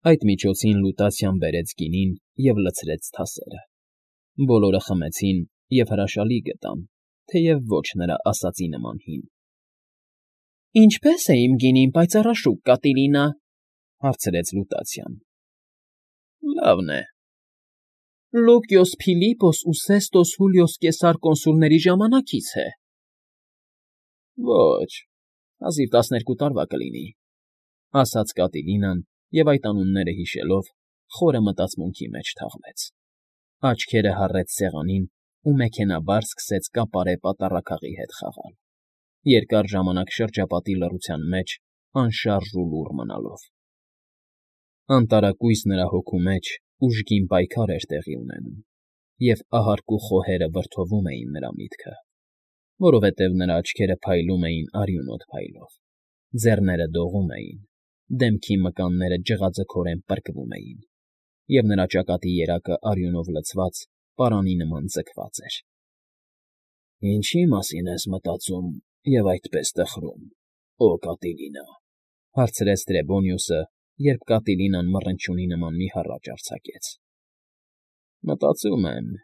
Այդ միջոցին Լուտացիան բերեց գինին և լցրեց թասերը։ Բոլորը խմեցին և հրաշալի գտան, թեև ոչ նրա ասածի նման հին։ ֊ Ինչպե՞ս է իմ գինին պայծառաշուկ, Կատիլինա,֊ հարցրեց Լուտացիան։ ֊ Լավն է։ ֊ Լուկիոս Փիլիպոս ու Սեստոս Հուլիոս Կեսար կոնսուլների ժամանակից է։ ֊ Ոչ, հազիվ 12 տարվա կլինի,֊ ասաց Կատիլինան և, այդ անունները հիշելով, խորը մտածմունքի մեջ թաղվեց, աչքերը հառեց սեղանին ու մեքենայաբար սկսեց կապարե պատառաքաղի հետ խաղալ, երկար ժամանակ շրջապատի լռության մեջ անշարժ ու լուռ մնալով։ Անտարակույս նրա հոգու մեջ ուժգին պայքար էր տեղի ունենում, և ահարկու խոհերը վրդովում էին նրա միտքը, որովհետև նրա աչքերը փայլում էին արյունոտ փայլով, ձեռները դողում էին, դեմքի մկանները ջղաձգորեն պրկվում էին, և նրա ճակատի երակը արյունով լցված պարանի նման ձգված էր։ ֊ Ինչի՞ մասին ես մտածում և այդպես տխրում, օ Կատիլինա,֊ հարցրեց Տրեբոնիուսը, երբ Կատիլինան մռնչյունի նման մի հառաչ արձակեց։ ֊ Մտածում եմ,֊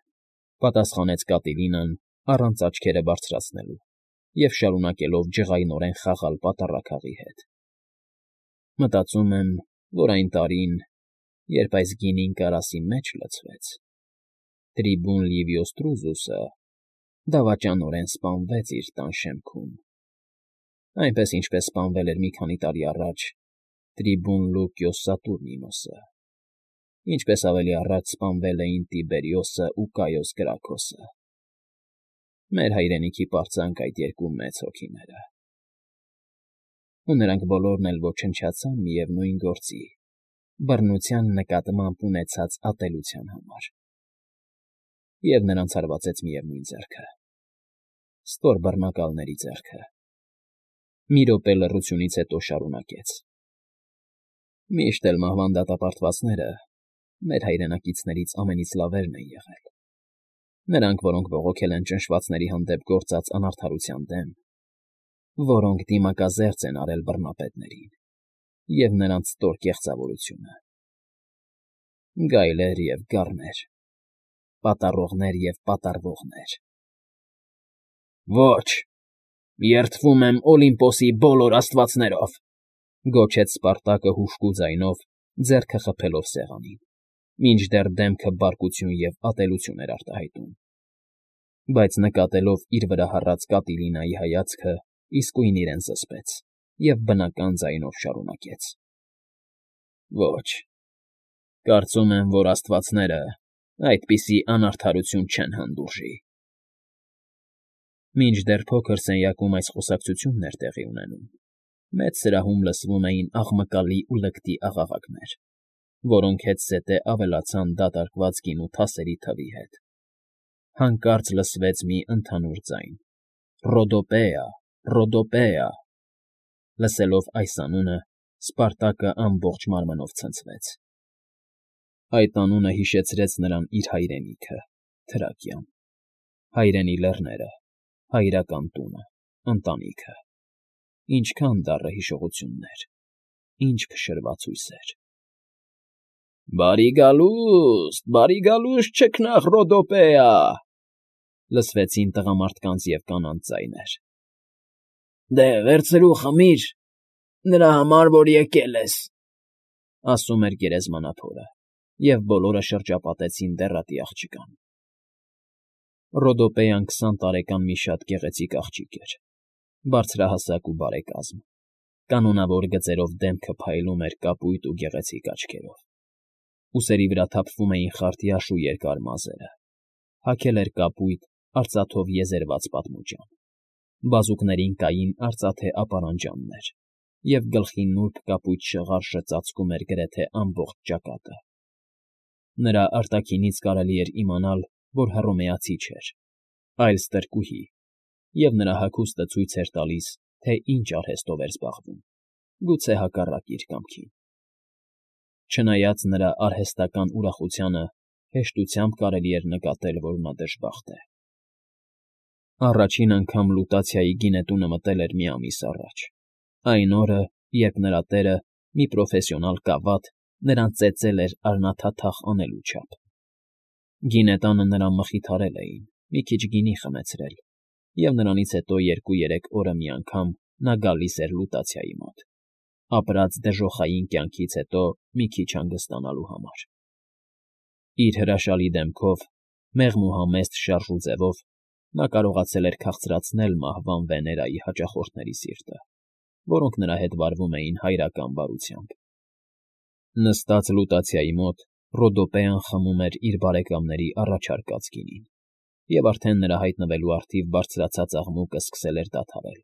պատասխանեց Կատիլինան առանց աչքերը բարձրացնելու և շարունակելով ջղայնորեն խաղալ պատառաքաղի հետ։ ֊ Մտածում եմ, որ այն տարին, երբ այս գինին կարասի մեջ լցվեց, трибուն Լիվիոս Դրուզուսը դավաճանորեն սպանվեց իր տան շեմքում, այնպես, ինչպես սպանվել էր մի քանի տարի առաջ трибուն Լուկիոս Սատուրնինոսը, ինչպես ավելի առաջ սպանվել էին Տիբերիոսն ու Կայոս Գրաքոսը, մեր հայրենիքի պարծանք այդ երկու մեծ հոգիները։ Ու նրանք բոլորն էլ ոչնչացան միևնույն գործի՝ բռնության նկատմամբ ունեցած ատելության համար։ Եվ նրանց հարվածեց միևնույն ձեռքը՝ ստոր բռնակալների ձեռքը։ Մի րոպե լռությունից հետո շարունակեց. Միշտ էլ մահվան դատապարտվածները մեր հայրենակիցներից ամենից լավերն են եղել, նրանք, որոնք բողոքել են ճնշվածների հանդեպ գործած անարդարության դեմ, որոնք դիմակազերծ են արել բռնապետներին և նրանց ստոր կեղծավորությունը։ Գայլեր և գառներ, պատառողներ և պատառվողներ։ ֊ Ոչ, երդվում եմ Օլիմպոսի բոլոր աստվածներով,֊ գոչեց Սպարտակը հուժկու ձայնով, ձեռքը խփելով սեղանին, մինչդեռ դեմքը բարկություն և ատելություն էր արտահայտում, բայց նկատելով իր վրա հառած Կատիլինայի հայացքը, իսկույն իրեն զսպեց և բնական ձայնով շարունակեց. ֊ Ոչ, կարծում եմ, որ աստվածները այդպիսի անարդարություն չեն հանդուրժի։ Մինչդեռ փոքր սենյակում այս խոսակցությունն էր տեղի ունենում, մեծ սրահում լսվում էին աղմկալի ու լկտի աղաղակներ, որոնք հետզհետե ավելացան դատարկված գինու թասերի թվի հետ։ Հանկարծ լսվեց մի ընդհանուր ձայն. «Ռոդոպեա, Ռոդոպեա»։ Լսելով այս անունը, Սպարտակը ամբողջ մարմնով ցնցվեց։ Այդ անունը հիշեցրեց նրան իր հայրենիքը՝ Թրակիան, հայրենի լեռները, հայրական տունը, ընտանիքը։ Ինչքան դառը հիշողություններ, ինչ փշրված հույսեր։ Բարի գալուստ, չքնաղ Ռոդոպեա…֊ լսվեցին տղամարդկանց և կանանց ձայներ։ ֊ Դե, վերցրու, խմիր, նրա համար, որ եկել ես,֊ ասում էր գերեզմանափորը, և բոլորը շրջապատեցին դեռատի աղջկան։ Ռոդոպեան 20 տարեկան մի շատ գեղեցիկ աղջիկ էր, բարձրահասակ ու բարեկազմ, կանոնավոր գծերով դեմքը փայլում էր կապույտ ու գեղեցիկ աչքերով, ուսերի վրա թափվում էին խարտյաշ ու երկար մազերը, հագել էր կապույտ, արծաթով եզերված պատմուջան, բազուկներին կային արծաթե ապարանջաններ, և գլխի նուրբ կապույտ շղարշը ծածկում էր գրեթե ամբողջ ճակատը։ Նրա արտաքինից կարելի էր իմանալ, որ հռոմեացի չէր, այլ ստրկուհի, և նրա հագուստը ցույց էր տալիս, թե ինչ արհեստով էր զբաղվում, գուցե հակառակ իր կամքին։ Չնայած նրա արհեստական ուրախությանը, հեշտությամբ կարելի էր նկատել, որ նա դժբախտ է։ Առաջին անգամ Լուտացիայի գինետունը մտել էր մի ամիս առաջ, այն օրը, երբ նրա տերը, մի պրոֆեսիոնալ կավատ, նրան ծեծել էր արնաթաթախ անելու չափ։ Գինետանը նրան մխիթարել էին, մի քիչ գինի խմեցրել, և նրանից հետո 2-3 օրը մի անգամ նա գալիս էր լուտացիայի մոտ, ապրած դժոխային կյանքից հետո մի քիչ հանգստանալու համար։ Իր հրաշալի դեմքով, մեղմ ու համեստ շարժուձևով նա կարողացել էր քաղցրացնել մահվան Վեներայի հաճախորդների սիրտը, որոնք նրա հետ վարվում էին հայրական բարությամբ։ Նստած լուտացիայի մոտ Ռոդոպեան խմում էր իր բարեկամների առաջարկած գինին, և արդեն նրա հայտնվելու առթիվ բարձրացած աղմուկը սկսել էր դադարել,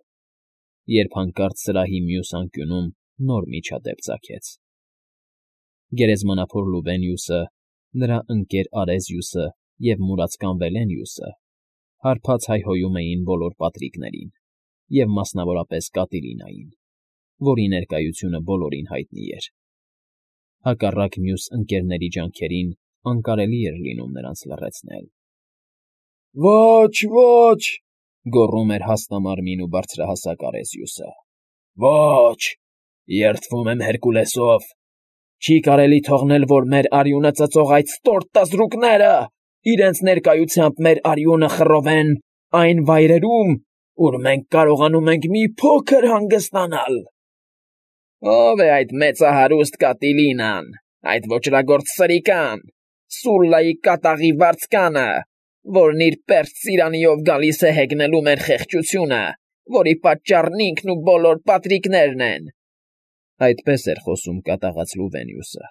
երբ հանկարծ սրահի մյուս անկյունում նոր միջադեպ ծագեց։ Գերեզմանափոր Լուվենիուսը, նրա ընկեր Արեզիուսը և մուրացկան Վելենիուսը հարբած հայհոյում էին բոլոր պատրիկներին և մասնավորապես Կատիլինային, որի ներկայությունը բոլորին հայտնի էր։ Հակառակ մյուս ընկերների ջանքերին անկարելի էր լինում նրանց լռեցնել։ «Ոչ, ոչ,֊ գոռում էր հաստամարմին ու բարձրահասակ Արեզիուսը,֊ ոչ, երդվում եմ Հերկուլեսով, չի կարելի թողնել, որ մեր արյունը ծծող այդ ստորտ տզրուկները իրենց ներկայությամբ մեր արյունը խռովեն այն վայրերում, ուր մենք կարողանում ենք մի փոքր հանգստանալ։ Ո՞վ է այդ մեծահարուստ Կատիլինան, այդ ոճրագործ սրիկան, Սուլլայի կատաղի վարձկանը, որն իր պերճ ծիրանիով գալիս է հեգնելու մեր խեղճությունը, որի պատճառն ինքն ու բոլոր պատրիկներն են»։ Այդպես էր խոսում կատաղած Լուվենիուսը,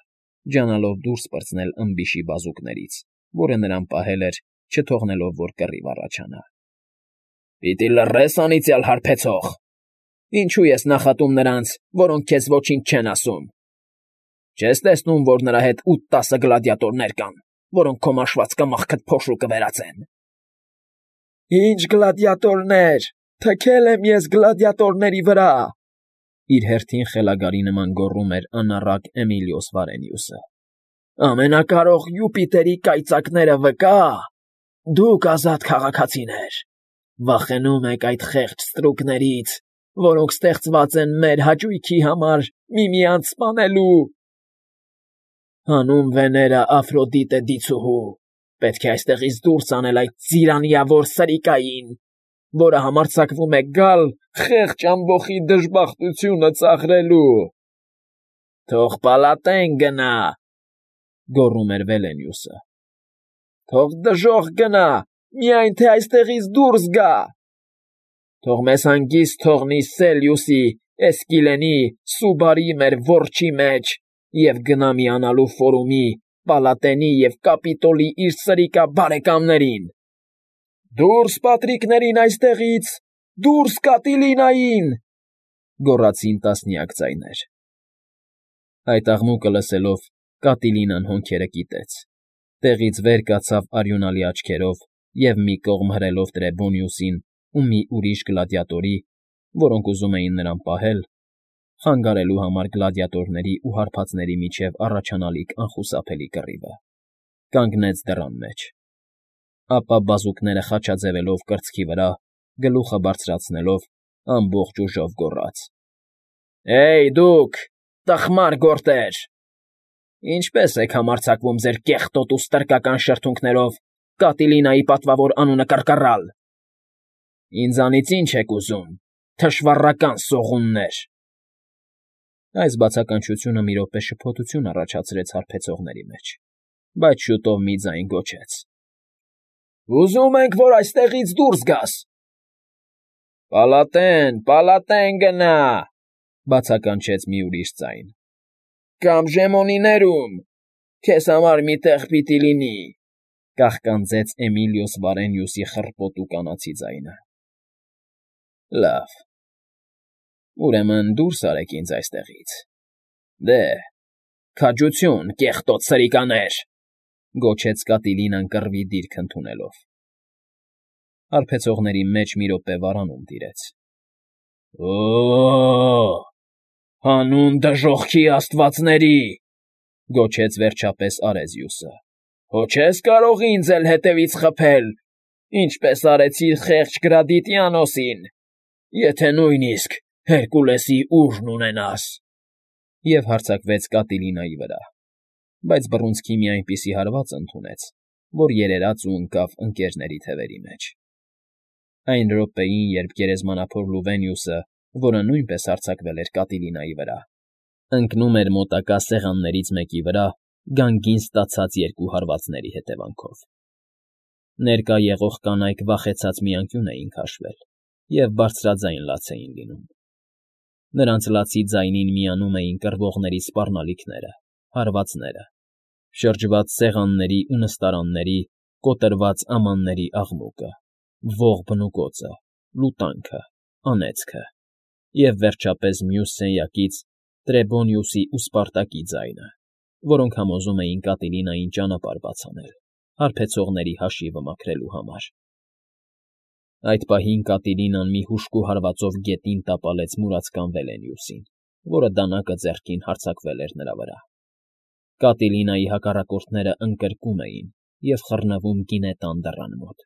ջանալով դուրս պրծնել ըմբիշի բազուկներից, որը նրան պահել էր, չթողնելով, որ կռիվ առաջանա։ «Պիտի լռես, անիծյալ հարբեցող… Ինչու ես նախատում նրանց, որոնք քեզ ոչինչ չեն ասում։ Չես տեսնում, որ նրա հետ 8-10 գլադիատորներ կան, որոնք քո մաշված կմախքդ փոշու կվերածեն»։ «Ինչ գլադիատորներ… Թքել եմ ես գլադիատորների վրա…֊ իր հերթին խելագարի նման գոռում էր անառակ Էմիլիոս Վարենիուսը։֊ Ամենակարող Յուպիտերի կայծակները վկա, դուք ազատ քաղաքացիներ, վախենում եք այդ խեղճ ստրուկներից, որոնք ստեղծված են մեր հաճույքի համար միմյանց սպանելու։ Հանուն Վեներա Աֆրոդիտե դիցուհու, պետք է այստեղից դուրս անել այդ ծիրանիավոր սրիկային, որը համարձակվում է գալ խեղճ ամբոխի դժբախտությունը ծաղրելու։ Թող պալատեն գնա, գոռում էր Վելենիուսը։ Թող դժոխք գնա, միայն թե այստեղից դուրս գա։ Թող մեզ հանգիստ թողնի Սելիուսի, Էսկիլենի, Սուբարի մեր որջի մեջ և գնա միանալու Ֆորումի, Պալատենի և Կապիտոլի իր սրիկա բարեկամներին։ Դուրս պատրիկներին այստեղից, դուրս Կատիլինային, գոռացին տասնյակ ձայներ։ Այդ աղմուկը լսելով Կատիլինան հոնքերը կիտեց, տեղից վեր կացավ արյունալի աչքերով և մի կողմ հրելով Տրեբոնիուսին ու մի ուրիշ գլադիատորի, որոնք ուզում էին նրան պահել, խանգարելու համար գլադիատորների ու հարբածների միջև առաջանալիք անխուսափելի կռիվը, կանգնեց դռան մեջ, ապա բազուկները խաչաձևելով կրծքի վրա, գլուխը բարձրացնելով, ամբողջ ուժով գոռաց. «Հեյ, դուք, տխմար գորտեր… Ինչպե՞ս եք համարձակվում ձեր կեղտոտ ու ստրկական շրթունքներով Կատիլինայի պատվավոր անունը կռկռալ… Ինձանից ի՞նչ եք ուզում, թշվառական սողուններ»։ Այս բացականչությունը մի րոպե շփոթություն առաջացրեց հարբեցողների մեջ, բայց շուտով մի ձայն գոչեց. «Ուզում ենք, որ այստեղից դուրս գաս»։ Պալատեն գնա, բացականչեց մի ուրիշ ձայն։ Կամ Ժեմոնիներում, քեզ համար մի տեղ պիտի լինի, կաղկանձեց Էմիլիոս Վարենիուսի խռպոտ ու կանացի ձայնը։ Լավ, ուրեմն դուրս արեք ինձ այստեղից։ Դե, քաջություն, կեղտոտ սրիկաներ, գոչեց Կատիլինան կռվի դիրք ընդունելով։ Հարբեցողների մեջ մի րոպե վարանում տիրեց։ Օ՜, հանուն դժոխքի աստվածների, գոչեց վերջապես Արեզիուսը։ Հո չես կարող ինձ էլ հետևից խփել, ինչպես արեցիր խեղճ Գրադիտիանոսին, եթե նույնիսկ Հերկուլեսի ուժն ունենաս։ Եվ հարձակվեց Կատիլինայի վրա։ բայց բռունցքի մի այնպիսի հարված ընդունեց, որ երերաց ու ընկավ ընկերների թևերի մեջ։ Այն րոպեին, երբ գերեզմանափոր Լուվենիուսը, որը նույնպես հարձակվել էր Կատիլինայի վրա, ընկնում էր մոտակա սեղաններից մեկի վրա գանգին ստացած երկու հարվածների հետևանքով։ Ներկա եղող կանայք վախեցած մի անկյուն էին քաշվել և բարձրաձայն լաց էին լինում։ Նրանց լացի ձայնին միանում էին կռվողների սպառնալիքները, հարվածները, շրջված սեղանների ու նստարանների, կոտրված ամանների աղմուկը, ողջ բնուկոցը, լուտանքը, անեծքը և, վերջապես, մյուս սենյակից Տրեբոնիուսի ու Սպարտակի ձայնը, որոնք համոզում էին Կատիլինային ճանապարհ բաց անել, հարբեցողների հաշիվը մաքրելու համար։ Այդ պահին Կատիլինան մի հուժկու հարվածով գետին տապալեց մուրացկան Վելենիուսին, որը դանակը ձեռքին հարձակվել էր նրա վրա։ Կատիլինայի հակառակորդները ընկրկում էին և խռնվում գինետան դռան մոտ։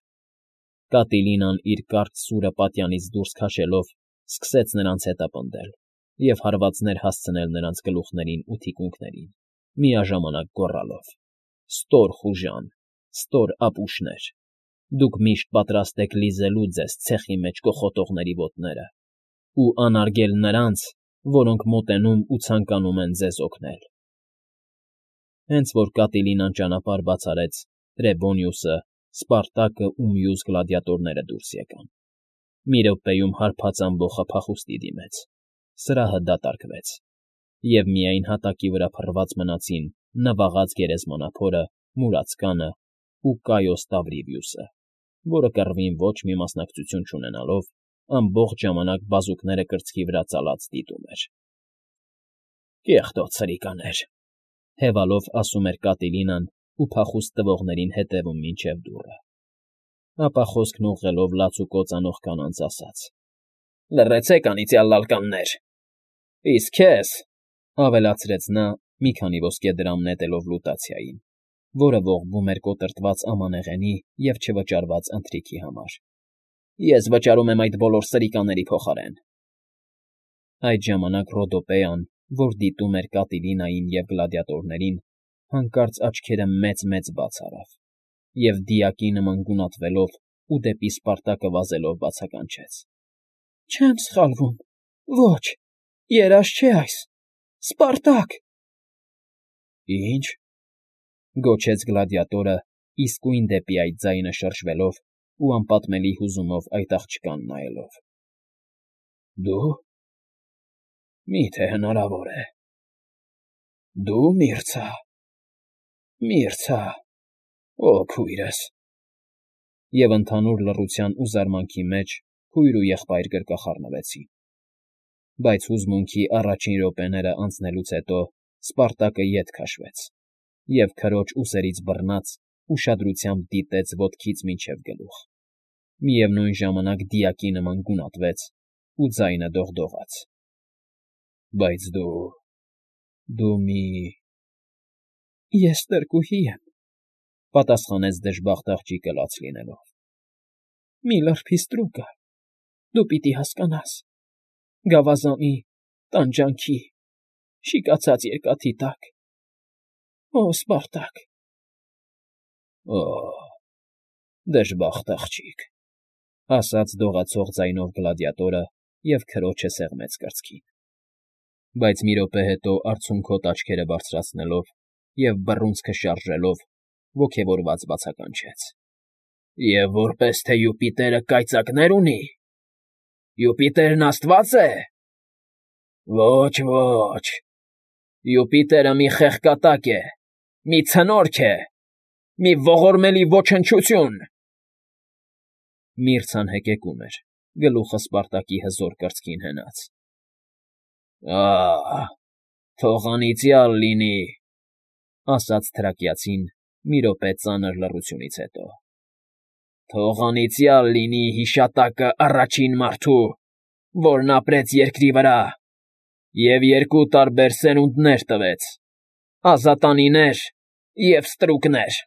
Կատիլինան իր կարճ սուրը պատյանից դուրս քաշելով սկսեց նրանց հետապնդել և հարվածներ հասցնել նրանց գլուխներին ու թիկունքներին, միաժամանակ գոռալով. «Ստոր խուժան, ստոր ապուշներ, դուք միշտ պատրաստ եք լիզելու ձեզ ցեխի մեջ կոխոտողների ոտները ու անարգել նրանց, որոնք մոտենում ու ցանկանում են ձեզ օգնել»։ Հենց որ Կատիլինան ճանապարհ բաց արեց, Տրեբոնիուսը, Սպարտակը ու մյուս գլադիատորները դուրս եկան։ Մի րոպեում հարբած ամբոխը փախուստի դիմեց, սրահը դատարկվեց, և միայն հատակի վրա փռված մնացին նվաղած գերեզմանափորը, մուրացկանը ու Կայոս Տավրիվիուսը, որը կռվին ոչ մի մասնակցություն չունենալով, ամբողջ ժամանակ բազուկները կրծքի վրա ծալած դիտում էր։ «Կեղտոտ սրիկաներ», հևալով ասում էր Կատիլինան ու փախուստ տվողներին հետևում մինչև դուռը։ Ապա խոսքն ուղղելով լաց ու կոծանող կանանց ասաց. «Լռեցեք, անիծյալ լալկաններ, իսկ քեզ», ավելացրեց նա, մի քանի ոսկե դրամ նետելով լուտացիային, որը ողբում էր կոտրտված ամանեղենի և չվճարված ընթրիքի համար, «ես վճարում եմ այդ բոլոր սրիկաների փոխարեն»։ Այդ ժամանակ Ռոդոպեան, որ դիտում էր Կատիլինային և գլադիատորներին, հանկարծ աչքերը մեծ֊մեծ բաց արավ և դիակի նման գունատվելով ու դեպի Սպարտակը վազելով բացականչեց. «Չեմ սխալվում, ոչ, երազ չէ այս, Սպարտակ»։ «Ի՞նչ», գոչեց գլադիատորը, իսկույն դեպի այդ ձայնը շրջվելով ու անպատմելի հուզումով այդ աղջկան նայելով։ «Դու… Մի՞թե հնարավոր է… Դու, Միրցա, օ քույրս…» Եվ ընդհանուր լռության ու զարմանքի մեջ քույր ու եղբայր գրկախառնվեցին։ Բայց հուզմունքի առաջին րոպեները անցնելուց հետո Սպարտակը ետ քաշվեց և քրոջ ուսերից բռնած ուշադրությամբ դիտեց ոտքից մինչև գլուխ, միևնույն ժամանակ դիակի նման գունատվեց ու ձայնը դողդողաց. «Բայց դու մի…» «Ես ստրկուհի եմ,֊ պատասխանեց դժբախտ աղջիկը լաց լինելով,֊ մի լրբի ստրուկը, դու պիտի հասկանաս, գավազանի, տանջանքի, շիկացած երկաթի տակ… Օ Սպարտակ…» «Օ, դժբախտ աղջիկ…֊ ասաց դողացող ձայնով գլադիատորը և քրոջը սեղմեց կրծքին, բայց մի րոպե հետո արցունքոտ աչքերը բարձրացնելով և բռունցքը շարժելով, ոգևորված բացականչեց. «Եվ որպես թե Յուպիտերը կայծակներ ունի… Յուպիտերն աստվա՞ծ է… Ոչ, Յուպիտերը մի խեղկատակ է, մի ցնորք է, մի ողորմելի ոչնչություն»։ Միրցան հեկեկում էր, գլուխը Սպարտակի հզոր կրծքին հենած։ «Ա՜, թող անիծյալ լինի,֊ ասաց թրակիացին մի րոպե ծանր լռությունից հետո,֊ թող անիծյալ լինի հիշատակը առաջին մարդու, որն ապրեց երկրի վրա և երկու տարբեր սերունդներ տվեց՝ ազատանիներ և ստրուկներ»։